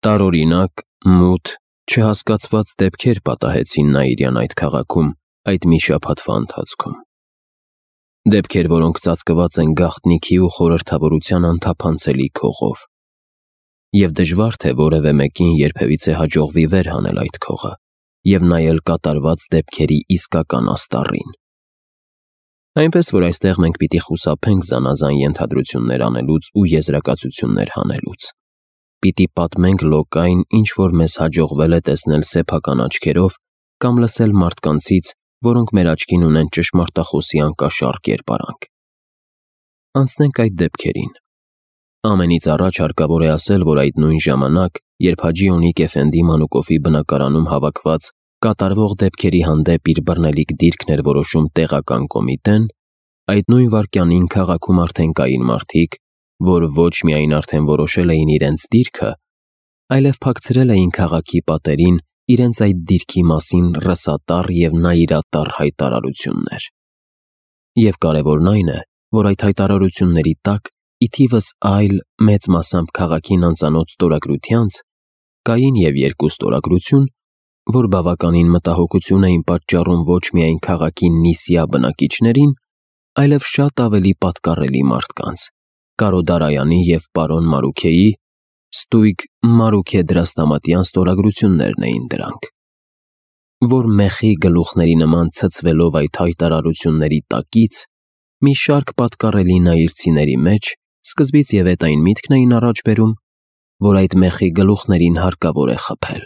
Տարօրինակ, մութ, չհասկացված դեպքեր պատահեցին Նաիրյան այդ քաղաքում այդ մի շաբաթվա ընթացքում։ Դեպքեր, որոնք ծածկված են գաղտնիքի ու խորհրդավորության անթափանցելի քողով։ Եվ դժվար թե որևէ մեկին երբևիցե հաջողվի վեր հանել այդ քողը և նայել կատարված դեպքերի իսկական աստառին։ Այնպես որ այստեղ մենք պիտի խուսափենք զանազան ենթադրություններ անելուց ու եզրակացություններ հանելուց։ Պիտի պատմենք լոկային, ինչ որ մեզ հաջողվել է տեսնել սեփական աչքերով կամ լսել մարդկանցից, որոնք մեր աչքին ունեն ճշմարտախոսի անկաշառ կերպարանք։ Անցնենք այդ դեպքերին։ Ամենից առաջ հարկավոր է ասել, որ այդ նույն ժամանակ, երբ Հաջի Օնիկ Էֆենդի Մանուկովի բնակարանում հավաքված կատարվող դեպքերի հանդեպ իր բռնելիք դիրքն էր որոշում տեղական կոմիտեն, այդ նույն վայրկյանին քաղաքում արդեն կային մարդիկ, որ ոչ միայն արդեն որոշել էին իրենց դիրքը, այլև փակցրել էին քաղաքի պատերին իրենց այդ դիրքի մասին ռսատառ և նայիրատառ հայտարարություններ։ Եվ կարևորն այն է, որ այդ հայտարարությունների տակ, ի թիվս այլ, մեծ մասամբ քաղաքին անծանոթ ստորագրությանց, կային և երկու ստորագրություն, որ բավականին մտահոգություն էին պատճառում ոչ միայն քաղաքի նիսյա բնակիչներին, այլև շատ ավելի պատկառելի մարդկանց՝ Կարո Դարայանի և պարոն Մարուքեի, ստույգ Մարուքե Դրաստամատյան ստորագրություններն էին դրանք, որ մեխի գլուխների նման ցցվելով այդ հայտարարությունների տակից, մի շարք պատկառելի նայիրցիների մեջ սկզբից և էդ այն միտքն էին առաջ բերում, որ այդ մեխի գլուխներին հարկավոր է խփել։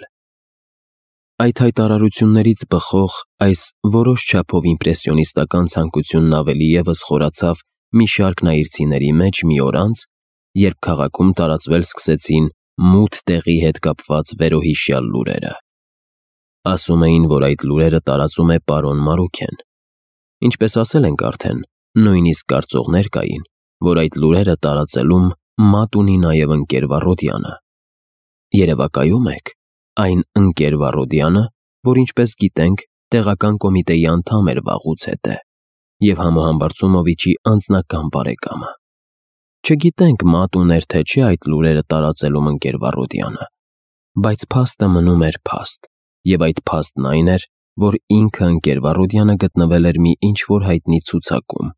Այդ հայտարարություններից բխող այս որոշ չափով իմպրեսիոնիստական ցանկությունն ավելի ևս խորացավ մի շարք նայիրցիների մեջ մի օր անց, երբ քաղաքում տարածվել սկսեցին մութ տեղի հետ կապված վերոհիշյալ լուրերը։ Ասում էին, որ այդ լուրերը տարածում է պարոն Մարուքեն։ Ինչպես ասել ենք արդեն, նույնիսկ կարծողներ կային, որ այդ լուրերը տարածելում մատ ունի նաև ընկեր Վառոդյանը։ Երևակայում եք, այն ընկեր Վառոդյանը, որ ինչպես գիտենք, տեղական կոմիտեի անդամ էր վաղուց հետը և Համոհամբարձումովիչի անձնական բարեկամը։ Չգիտենք մատ ուներ թե չէ այդ լուրերը տարածելում ընկեր Վառոդյանը, բայց փաստը մնում էր փաստ, և այդ փաստն այն էր, որ ինքը ընկեր Վառոդյանը գտնվել էր մի ինչ-որ հայտնի ցուցակում,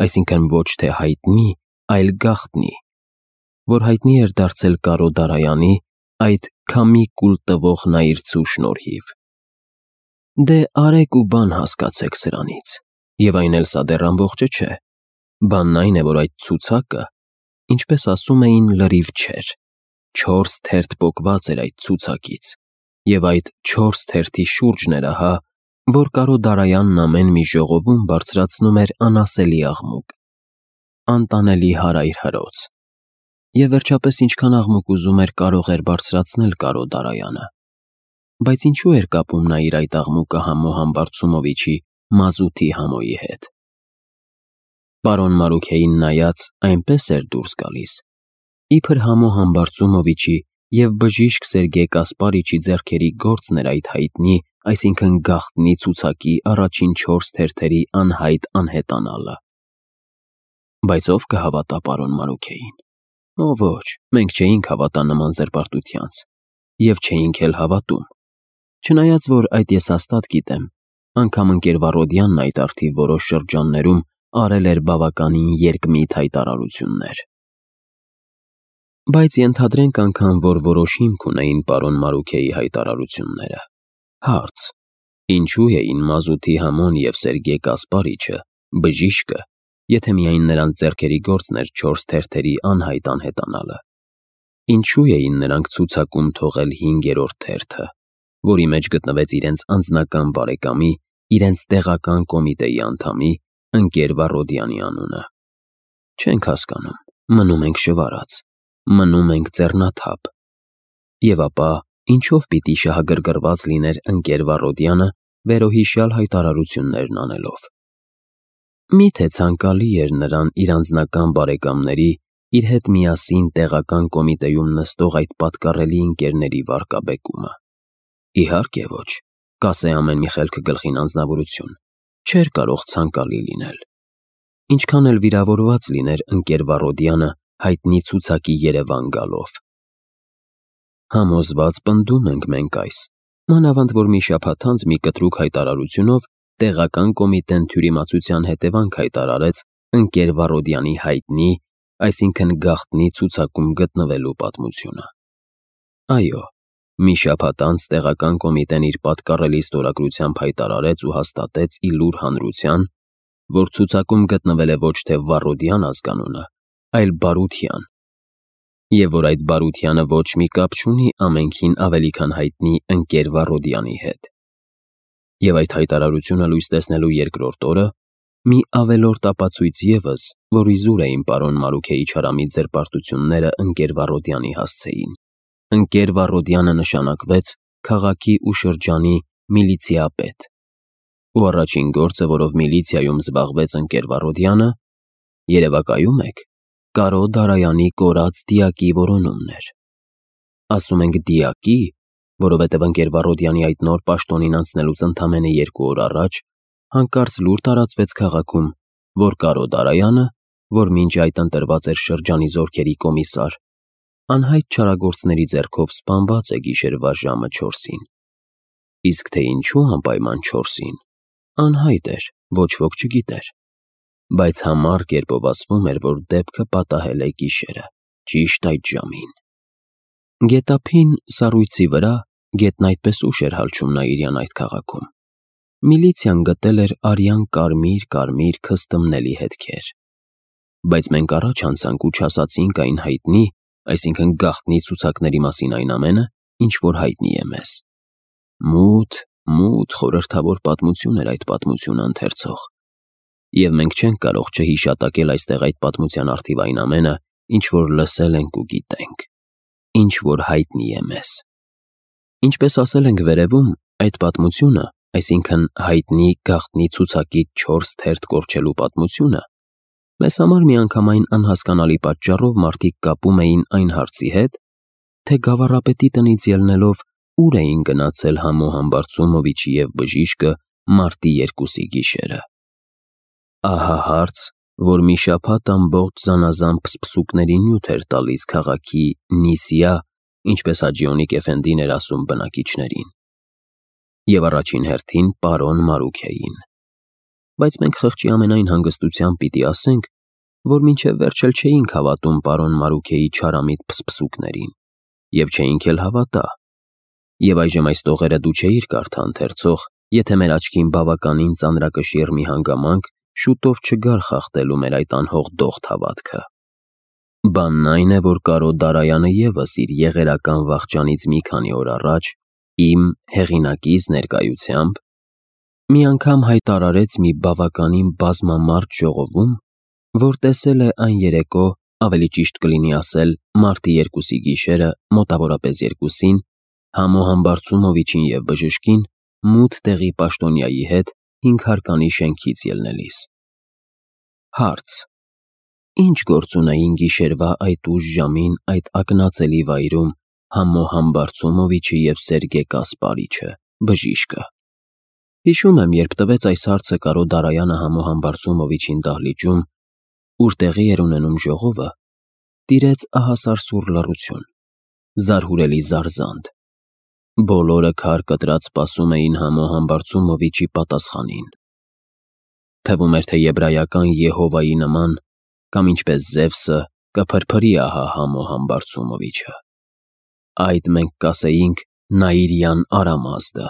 այսինքն ոչ թե հայտնի, այլ գաղտնի, որ հայտնի էր դարձել Կարո Դարայանի, այդ քամի կուլ տվող նայիրցու շնորհիվ։ Դե արեք ու բան հասկացեք սրանից, և այն էլ սա դեռ ամբողջը չէ։ Բանն այն է, որ այդ ցուցակը, ինչպես ասում էին, լրիվ չէր, 4 թերթ պոկված էր այդ ցուցակից, և այդ 4 թերթի շուրջն էր ահա, որ Կարո Դարայանն ամեն մի ժողովում բարձրացնում էր անասելի աղմուկ, անտանելի հարայր հրոց։ Եվ վերջապես ինչքան աղմուկ ուզում էր, կարող էր բարձրացնել Կարո Դարայանը։ Բայց ինչու էր կապում նա իր այդ աղմուկը Համոհամբարձումովիչի մազութի համոյի հետ։ Պարոն Մարուքեին նայած այնպես էր դուրս գալիս, իբր Համոհամբարձումովիչի և բժիշկ Սերգեյ Կասպարիչի ձեռքերի գործն էր այդ հայտնի, այսինքն գաղտնի ցուցակի առաջին 4 թերթերի անհայտ անհետանալը։ Բայց ով կհավատա պարոն Մարուքեին։ Օ ոչ, մենք չէինք հավատա նման զրպարտությանց, և չէինք էլ հավատում, չնայած որ այդ ես հաստատ գիտեմ, անգամ ընկեր Վառոդյանն այդ առթիվ որոշ շրջաններում արել էր բավականին երկմիտ հայտարարություններ։ Բայց ենթադրենք անգամ, որ որոշ հիմք ունեին պարոն Մարուքեի հայտարարությունները։ Հարց. ինչու էին Մազութի Համոն և Սերգեյ Կասպարիչը, բժիշկը, եթե միայն նրանց ձեռքերի գործն էր 4 թերթերի անհայտ անհետանալը։ Ինչու էին նրանք ցուցակում թողել 5-րդ թերթը, որի մեջ գտնվեց իրենց անձնական բարեկամի, իրենց տեղական կոմիտեի անդամի, ընկեր Վառոդյանի անունը։ Չենք հասկանում, մնում ենք շվարած, մնում ենք ձեռնաթափ։ Եվ ապա ինչով պիտի շահագրգռված լիներ ընկեր Վառոդյանը վերոհիշյալ հայտարարություններն անելով։ Միթե ցանկալի էր նրան իր անձնական բարեկամների, իր հետ միասին տեղական կոմիտեում նստող այդ պատկառելի ընկերների վարկաբեկումը։ Իհարկե ոչ, կասե ամեն մի խելքը գլխին անձնավորություն, չէր կարող ցանկալի լինել։ Ինչքան էլ վիրավորված լիներ ընկեր Վառոդյանը հայտնի ցուցակի Երևան գալով։ Համոզված պնդում ենք մենք այս, մանավանդ որ մի շաբաթ անց մի կտրուկ հայտարարությունով տեղական կոմիտեն թյուրիմացության հետևանք հայտարարեց ընկեր Վարոդյանի հայտնի, այսինքն գաղտնի ցուցակում գտնվելու պատմությունը։ Այո, մի շաբաթ անց տեղական կոմիտեն իր պատկառելի ստորագրությամբ հայտարարեց ու հաստատեց ի լուր հանրության, որ ցուցակում գտնվել է ոչ թե Վարոդյան ազգանունը, այլ Բարության, եւ որ այդ Բարությանը ոչ մի կապ չունի ամենքին ավելի քան հայտնի ընկեր Վարոդյանի հետ։ Եվ այդ հայտարարությունը լույս տեսնելու երկրորդ օրը մի ավելորդ ապացույց ևս, որ իզուր էին պարոն Մարուքեի չարամիտ ձերբարտությունները ընկեր Վարոդյանի հասցեին։ Ընկեր Վարոդյանը նշանակվեց քաղաքի ու շրջանի միլիցիապետ։ Ու առաջին գործը, որով միլիցիայում զբաղվեց ընկեր Վարոդյանը, երևակայում եք, Կարո Դարայանի կորած դիակի որոնումն էր։ Ասում ենք դիակի, որովհետև ընկեր Վարոդյանի այդ նոր պաշտոնին անցնելուց ընդամենը 2 օր առաջ հանկարծ լուր տարածվեց քաղաքում, որ Կարո Դարայանը, որ մինչ այդ ընտրված էր շրջանի զորքերի կոմիսար, անհայտ չարագործների ձեռքով սպանված է գիշերվա ժամը 4-ին։ Իսկ թե ինչու անպայման 4-ին, անհայտ էր, ոչ ոք չգիտեր, բայց համառ կերպով ասվում էր, որ դեպքը պատահել է գիշերը, ճիշտ այդ ժամին։ Գետափին սառույցի վրա գետն այդպես ուշ էր հալչում Նաիրյան այդ քաղաքում։ Միլիցիան գտել էր արյան կարմիր քստմնելի հետքեր։ Բայց մենք առաջ անցանք ու չասացինք այն հայտնի, այսինքն գաղտնի ցուցակների մասին այն ամենը, ինչ որ հայտնի է մեզ։ Մութ խորհրդավոր պատմություն էր այդ պատմությունը ընթերցող։ Եվ մենք չենք կարող չհիշատակել այստեղ այդ պատմության առթիվ այն ամենը, ինչ որ լսել ենք ու գիտենք, ինչ որ հայտնի է մեզ։ Ինչպես ասել ենք վերևում, այդ պատմությունը, այսինքն հայտնի գաղտնի ցուցակից 4 թերթ կորչելու պատմությունը, մեզ համար միանգամայն անհասկանալի պատճառով մարդիկ կապում էին այն հարցի հետ, թե գավառապետի տնից ելնելով ուր էին գնացել Համո Համբարձումովիչի և բժիշկը մարտի 2-ի գիշերը։ Ահա հարց, որ մի շաբաթ ամբողջ զանազան փսփսուկների նյութ էր տալիս քաղաքի Նիսիա, ինչպես Հաջիոնիկ Էֆենդին էր ասում բնակիչներին, և առաջին հերթին պարոն Մարուքեին։ Բայց մենք խղճի ամենայն հանգստությամբ պիտի ասենք, որ մինչև վերջ էլ չէինք հավատում պարոն Մարուքեի չարամիտ փսփսուկներին, և չէինք էլ հավատա։ Եվ այժմ այս տողերը դու չէիր կարդա ընթերցող, եթե մեր աչքին բավականին ծանրակշիռ մի հանգամանք շուտով չգար խախտելու մեր այդ անհող դողդ հավատքը։ Բանն այն է, որ Կարո Դարայանը ևս իր եղերական վախճանից մի քանի օր առաջ, իմ հեղինակիս ներկայությամբ, մի անգամ հայտարարեց մի բավականին բազմամարդ ժողովում, որ տեսել է այն երեկո, ավելի ճիշտ կլինի ասել մարտի 2-ի գիշերը, մոտավորապես 2-ին, Համո Համբարձումովիչին և բժշկին մութ տեղի պաշտոնյայի հետ 5 հարկանի շենքից ելնելիս։ Հարց. Ինչ գործ ունեին գիշերվա այդ ուշ ժամին այդ ակնածելի վայրում Համո Համբարձումովիչը և Սերգե Կասպարիչը, բժիշկը։ Հիշում եմ, երբ տվեց այս հարցը Կարո Դարայանը Համո Համբարձումովիչին դահլիճում, ուր տեղի էր ունենում ժողովը, տիրեց ահասար սուր լռություն, զարհուրելի զարզանդ։ Բոլորը քար կտրած սպասում էին Համո Համբարձումովիչի պատասխանին։ Թվում էր, թե եբրայական Եհովայի նման, կամ ինչպես Զևսը, կփրփրի ահա Համո Համբարձումովիչը։ Այդ մենք կասեինք Նաիրյան Արամազդը։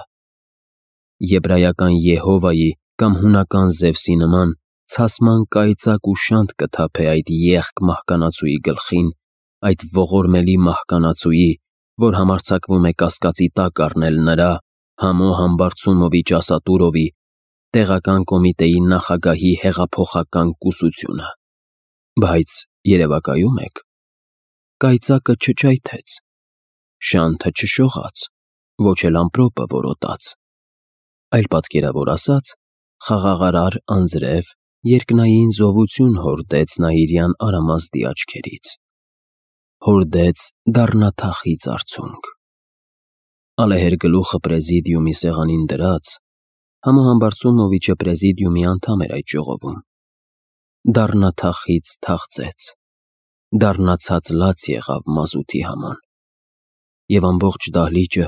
Եբրայական Եհովայի կամ հունական Զևսի նման ցասման կայծակ ու շանտ կթափե այդ եղք մահկանացուի գլխին, այդ ողորմելի մահկանացուի, որ համարձակվում է կասկածի տակ առնել նրա, Համո Համբարձումովիչ Ասատուրովի, տեղական կոմիտեի նախագահի հեղափոխական կուսությունը։ Բայց երևակայում եք, կայծակը չջայթեց, շանթը չշողաց, ոչ էլ ամպրոպը որոտաց, այլ պատկերավոր ասած, խաղաղարար անձրև երկնային զովություն հորդեց Նաիրյան Արամազդի աչքերից, հորդեց դառնաթախիծ արցունք։ Ալեհեր գլուխը պրեզիդիումի սեղանին դրած, Համո Համբարձումովիչը պրեզիդիումի անդամ էր այդ ժողովում։ Դառնաթախիծ թախծեց, դառնացած լաց եղավ մազութի համան։ և ամբողջ դահլիճը,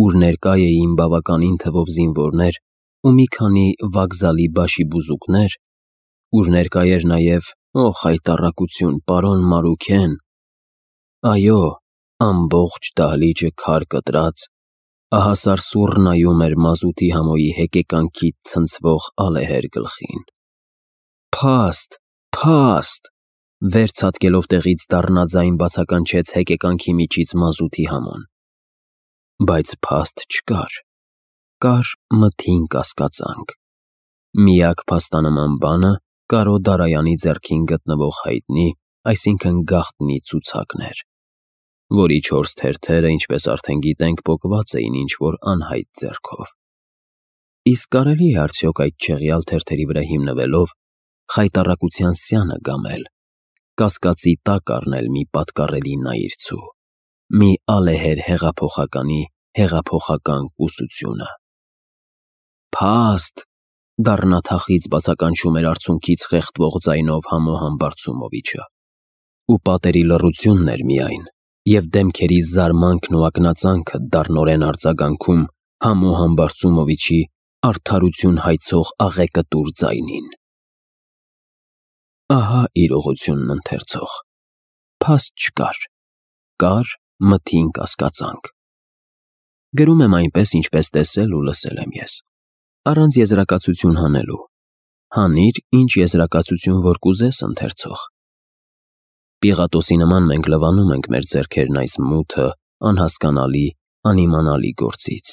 ուր ներկա էին բավականին թվով զինվորներ ու մի քանի վокзալի բաշիբուզուկներ, ուր ներկա էր նաև, օ խայտառակություն, պարոն Մարուքեն, այո, ամբողջ դահլիճը քար կտրած, ահասար սուռ նայում էր մազութի համոյի հեկեկանքից ցնցվող ալեհեր գլխին։ Փաստ, փաստ, վեր ցատկելով տեղից դառնաձայն բացականչեց հեկեկանքի միջից մազութի համոն։ Բայց փաստ չկար, կար մթին կասկածանք։ Միակ փաստանման բանը Կարո Դարայանի ձեռքին գտնվող հայտնի, այսինքն գաղտնի ցուցակն էր, որի 4 թերթերը, ինչպես արդեն գիտենք, պոկված էին ինչ-որ անհայտ ձեռքով։ Իսկ կարելի է արդյոք այդ չեղյալ թերթերի վրա հիմնվելով խայտառակության սյանը գամել, կասկածի տակ առնել մի պատկառելի նայիրցու, մի ալեհեր հեղափոխականի հեղափոխական կուսությունը։ Փաստ, դառնաթախից բացականչում էր արցունքից խեղդվող ձայնով Համոհան Բարցումովիչը, ու պատերի լռությունն էր միայն, և դեմքերի զարմանքն ու ակնածանքը դառնորեն արձագանքում Համոհան Բարցումովիչի արդարություն հայցող աղեկտուր ձայնին։ Ահա իրողությունն ընթերցող. փաստ չկար, կար մթին կասկածանք։ Գրում եմ այնպես, ինչպես տեսել ու լսել եմ ես, առանց եզրակացություն հանելու։ Հանիր, ինչ եզրակացություն որ կուզես, ընթերցող։ Պիղատոսի նման մենք լվանում ենք մեր ձեռքերն այս մութը, անհասկանալի, անիմանալի գործից։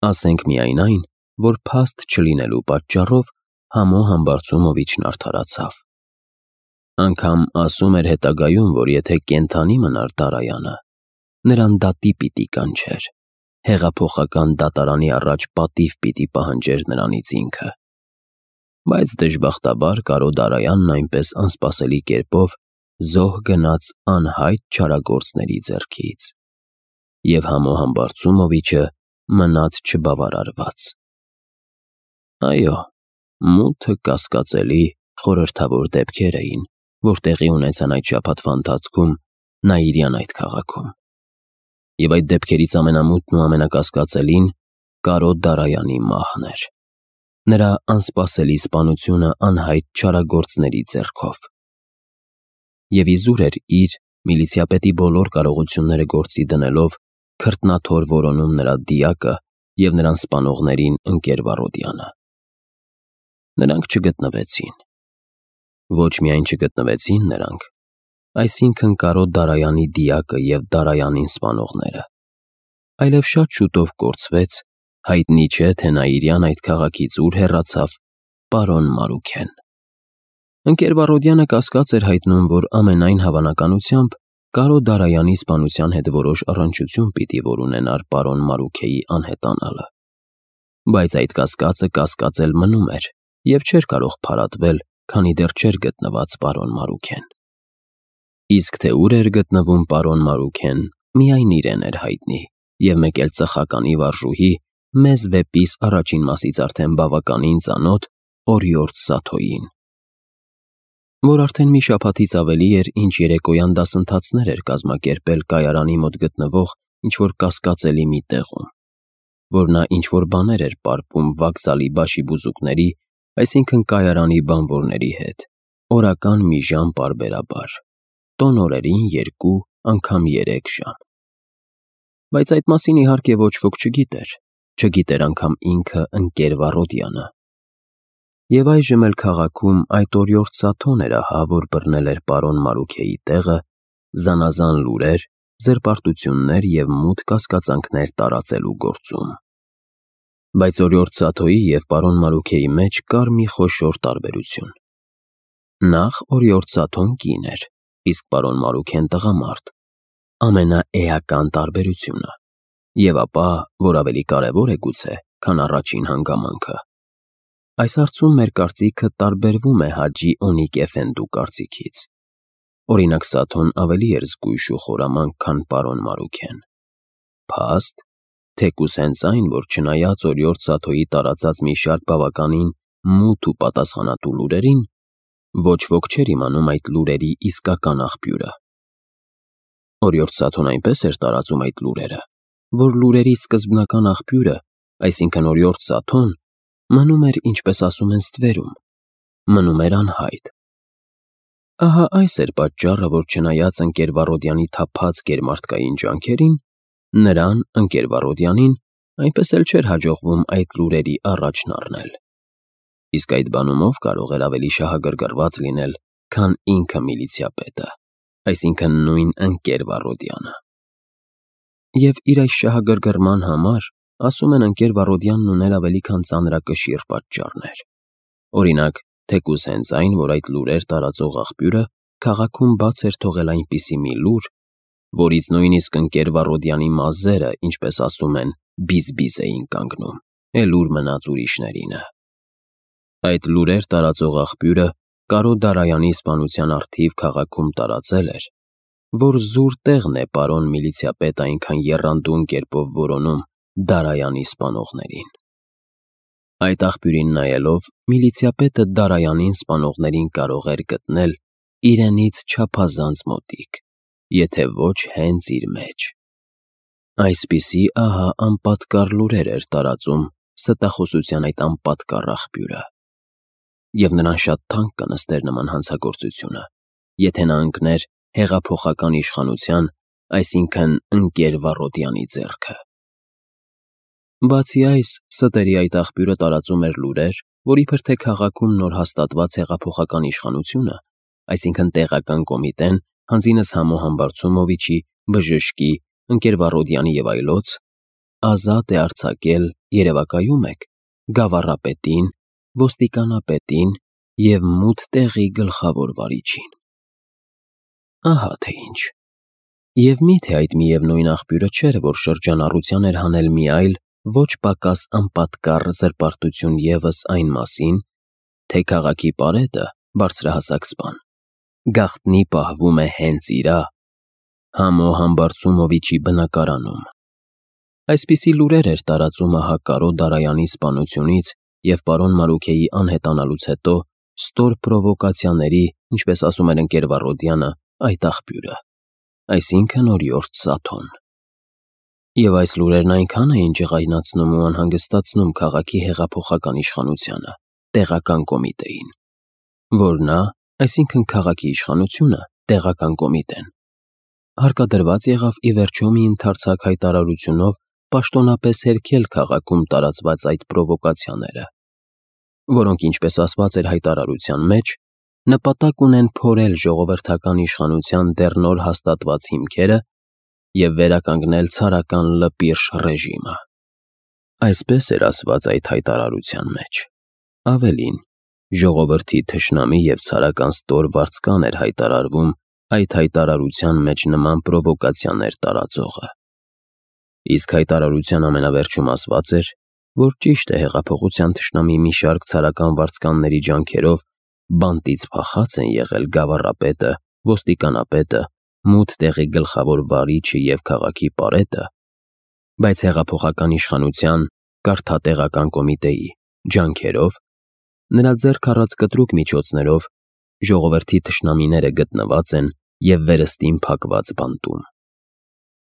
Ասենք միայն այն, որ փաստ չլինելու պատճառով Համոհան Բարցումովիչն արդարացավ։ Անգամ ասում էր հետագայում, որ եթե կենդանի մնար Դարայանը, նրան դատի պիտի կանչեր, հեղափոխական դատարանի առաջ պատիվ պիտի պահանջեր նրանից ինքը։ Բայց դժբախտաբար Կարո Դարայանն այնպես անսպասելի կերպով զոհ գնաց անհայտ չարագործների ձեռքից, և Համոհան Բարցումովիչը մնաց չբավարարված։ Այո, մութը կասկածելի, խորհրդավոր դեպքեր էին, որ տեղի ունեցան այդ շաբաթվա ընթացքում Նաիրյան այդ քաղաքում։ Եվ այդ դեպքերից ամենամութն ու ամենակասկածելին Կարո Դարայանի մահն էր, նրա անսպասելի սպանությունը անհայտ չարագործների ձեռքով։ Եվ իզուր էր իր, միլիցիապետի բոլոր կարողությունները գործի դնելով, քրտնաթոր որոնում նրա դիակը և նրան սպանողներին ընկեր Վարոդյանը։ Նրանք չգտնվեցին։ Ոչ միայն չգտնվեցին նրանք, այսինքն Կարո Դարայանի դիակը և Դարայանին սպանողները, այլև շատ շուտով կորցվեց, հայտնի չէ, թե Նաիրյան այդ քաղաքից ուր հեռացավ, պարոն Մարուքեն։ Ընկեր Վարոդյանը կասկած էր հայտնում, որ ամենայն հավանականությամբ Կարո Դարայանի սպանության հետ որոշ առնչություն պիտի որ ունենար պարոն Մարուքեի անհետանալը։ Բայց այդ կասկածը կասկածել մնում էր և չէր կարող փարատվել, քանի դեռ չէր գտնված պարոն Մարուքեն։ Իսկ թե ուր էր գտնվում պարոն Մարուքեն, միայն իրեն էր հայտնի, և մեկ էլ ծխականի վարժուհի, մեզ վեպիս առաջին մասից արդեն բավականին ծանոթ Օրիորդ Սաթոյին, որ արդեն մի շաբաթից ավելի էր, ինչ երեկոյան դասընթացներ էր կազմակերպել կայարանի մոտ գտնվող ինչ-որ կասկածելի մի տեղում, որ նա ինչ-որ բաներ էր պարպում վокзալի բաշիբուզուկների, այսինքն կայարանի բանվորների հետ, օրական մի ժամ պարբերաբար, տոնորերին 2, անգամ 3 ժամ։ Բայց այդ մասին իհարկե ոչ ոք չգիտեր, չգիտեր անգամ ինքը ընկեր Վարոդյանը։ Եվ այժմ էլ քաղաքում այդ Օրիորդ Սաթոն էր ահա, որ բռնել էր պարոն Մարուքեի տեղը, զանազան լուրեր, զրպարտություններ և մութ կասկածանքներ տարածելու գործում։ Բայց Օրիորդ Սաթոյի և պարոն Մարուքեի մեջ կար մի խոշոր տարբերություն։ Նախ Օրիորդ Սաթոն կին էր, իսկ պարոն Մարուքեն տղամարդ, ամենաէական տարբերությունը, և ապա, որ ավելի կարևոր է գուցե, քան առաջին հանգամանքը, այս հարցում մեր կարծիքը տարբերվում է Հաջի Օնիկ Էֆենդու կարծիքից։ Օրինակ Սաթոն ավելի էր զգույշ ու խորամանկ, քան պարոն Մարուքեն։ Փաստ, թեկուզ հենց այն, որ չնայած Օրիորդ Սաթոյի տարածած մի շարք բավականին մութ ու պատասխանատու լուրերին, ոչ ոք չէր իմանում այդ լուրերի իսկական աղբյուրը։ Օրիորդ Սաթոն այնպես էր տարածում այդ լուրերը, որ լուրերի սկզբնական աղբյուրը, այսինքն Օրիորդ Սաթոն, մնում էր, ինչպես ասում են, ստվերում, մնում էր անհայտ։ Ահա այս էր պատճառը, որ չնայած ընկեր Վարոդյանի թափած գերմարդկային ջանքերին, նրան, ընկեր Վարոդյանին, այնպես էլ չէր հաջողվում այդ լուրերի առաջն առնել։ Իսկ այդ բանում ով կարող էր ավելի շահագրգռված լինել, քան ինքը միլիցիապետը, այսինքն նույն ընկեր Վարոդյանը։ Եվ իր այս շահագրգռման համար, ասում են, ընկեր Վարոդյանն ուներ ավելի քան ծանրակշիռ պատճառներ։ Օրինակ, թեկուզ հենց այն, որ այդ լուրեր տարածող աղբյուրը քաղաքում բաց էր թողել այնպիսի մի լուր, որից նույնիսկ ընկեր Վարոդյանի մազերը, ինչպես ասում են, բիզ-բիզ էին կանգնում, էլ ուր մնաց ուրիշներինը։ Այդ լուրեր տարածող աղբյուրը Կարո Դարայանի սպանության առթիվ քաղաքում տարածել էր, որ զուր տեղն է պարոն միլիցիապետ այնքան եռանդուն կերպով որոնում Դարայանի սպանողներին։ Այդ աղբյուրին նայելով, միլիցիապետը Դարայանին սպանողներին կարող էր գտնել իրենից չափազանց մոտիկ, եթե ոչ հենց իր մեջ։ Այսպիսի ահա անպատկառ լուրեր էր տարածում ստախոսության այդ անպատկառ աղբյուրը։ Եվ նրան շատ թանկ կնստեր նման հանցագործությունը, եթե նա ընկներ հեղափոխական իշխանության, այսինքն ընկեր Վարոդյանի ձեռքը։ Բացի այս, ստերի այդ աղբյուրը տարածում էր լուրեր, որ իբր թե քաղաքում նոր հաստատված հեղափոխական իշխանությունը, այսինքն տեղական կոմիտեն, հանձինս Համո Համբարձումովիչի, Բժշկի, ընկեր Վարոդյանի եւ այլոց, ազատ է արձակել, երևակայում եք, գավառապետին, ոստիկանապետին և մութ տեղի գլխավոր վարիչին։ Ահա թե ինչ։ Եվ միթե այդ միևնույն աղբյուրը չէր, որ շրջանառության էր հանել մի այլ, ոչ պակաս անպատկառ զրպարտություն ևս այն մասին, թե քաղաքի պարետը, բարձրահասակ սպան, գաղտնի պահվում է հենց իրա, Համո Համբարձումովիչի բնակարանում։ Այսպիսի լուրեր էր տարածում ահա Կարո Դարայանի սպանությունից և պարոն Մարուքեի անհետանալուց հետո ստոր պրովոկացիաների, ինչպես ասում էր ընկեր Վարոդյանը, այդ աղբյուրը, այսինքն Օրիորդ Սաթոն։ Եվ այս լուրերն այնքան էին ջղայնացնում ու անհանգստացնում քաղաքի հեղափոխական իշխանությանը, տեղական կոմիտեին, որ նա, այսինքն քաղաքի իշխանությունը, տեղական կոմիտեն, հարկադրված եղավ ի վերջո մի ընդարձակ հայտարարությունով պաշտոնապես հերքել քաղաքում տարածված այդ պրովոկացիաները, որոնք, ինչպես ասված էր հայտարարության մեջ, նպատակ ունեն փորել ժողովրդական իշխանության դեռ նոր հաստատված հիմքերը և վերականգնել ցարական լպիրշ ռեժիմը։ Այսպես էր ասված այդ հայտարարության մեջ։ Ավելին, ժողովրդի թշնամի և ցարական ստոր վարձկան էր հայտարարվում այդ հայտարարության մեջ նման պրովոկացիաներ տարածողը։ Իսկ հայտարարության ամենավերջում ասված էր, որ ճիշտ է հեղափոխության թշնամի մի շարք ցարական վարձկանների ջանքերով բանտից փախած են եղել գավառապետը, ոստիկանապետը, մութ տեղի գլխավոր վարիչը և քաղաքի պարետը, բայց հեղափոխական իշխանության, կարգատեղական կոմիտեի ջանքերով, նրա ձեռք առած կտրուկ միջոցներով ժողովրդի թշնամիները գտնված են և վերստին փակված բանտում։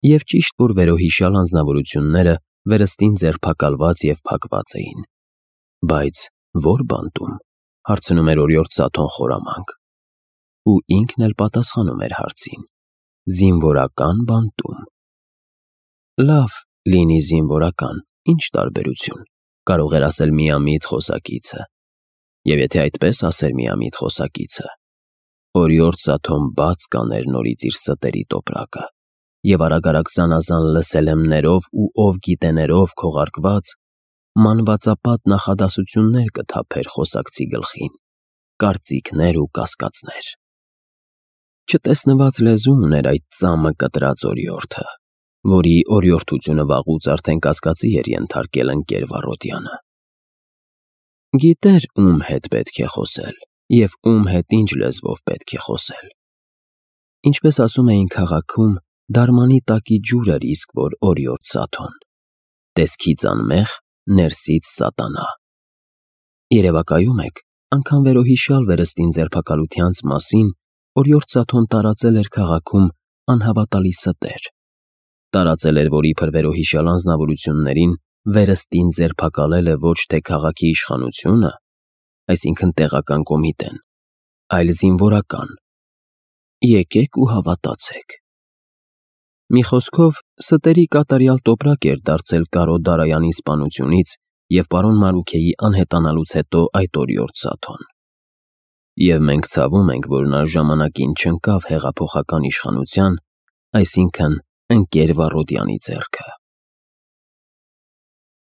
Եվ ճիշտ որ վերոհիշյալ անձնավորությունները վերստին ձերբակալված և փակված էին։ Բայց ո՞ր բանտում, հարցնում էր Օրիորդ Սաթոն խորամանկ։ Ու ինքն էլ պատասխանում էր հարցին. զինվորական բանտում։ Լավ, լինի զինվորական, ինչ տարբերություն, կարող էր ասել միամիտ խոսակիցը։ Եվ եթե այդպես ասեր միամիտ խոսակիցը, Օրիորդ Սաթոն բաց կաներ նորից իր ստերի տոպրակը, և արագ-արագ զանազան լսելեմներով ու ով գիտեներով քողարկված մանվածապատ նախադասություններ կթափեր խոսակցի գլխին, կարծիքներ ու կասկածներ։ Չտեսնված լեզու ուներ այդ ծամը կտրած օրիորդը, որի օրիորդությունը վաղուց արդեն կասկածի էր ենթարկել ընկեր Վարոդյանը։ Գիտեր ում հետ պետք է խոսել և ում հետ ինչ լեզվով պետք է խոսել։ Ինչպես ասում էին քաղաքում, դարմանի տակի ջուր էր իսկ որ Օրիորդ Սաթոն, տեսքից անմեղ, ներսից սատանա։ Երևակայում եք, անգամ վերոհիշյալ վերստին ձերբակալությանց մասին Օրիորդ Սաթոն տարածել էր քաղաքում անհավատալի ստեր։ Տարածել էր, որ իբր վերոհիշյալ անձնավորություններին վերստին ձերբակալել է ոչ թե քաղաքի իշխանությունը, այսինքն տեղական կոմիտեն, այլ զինվորական։ Եկեք ու հավատացեք։ Մի խոսքով, ստերի կատարյալ տոպրակ էր դարձել Կարո Դարայանի սպանությունից և պարոն Մարուքեի անհետանալուց հետո այդ օրիորդ Սաթոն։ Եվ մենք ցավում ենք, որ նա ժամանակին չընկավ հեղափոխական իշխանության, այսինքն ընկեր Վառոդյանի ձեռքը։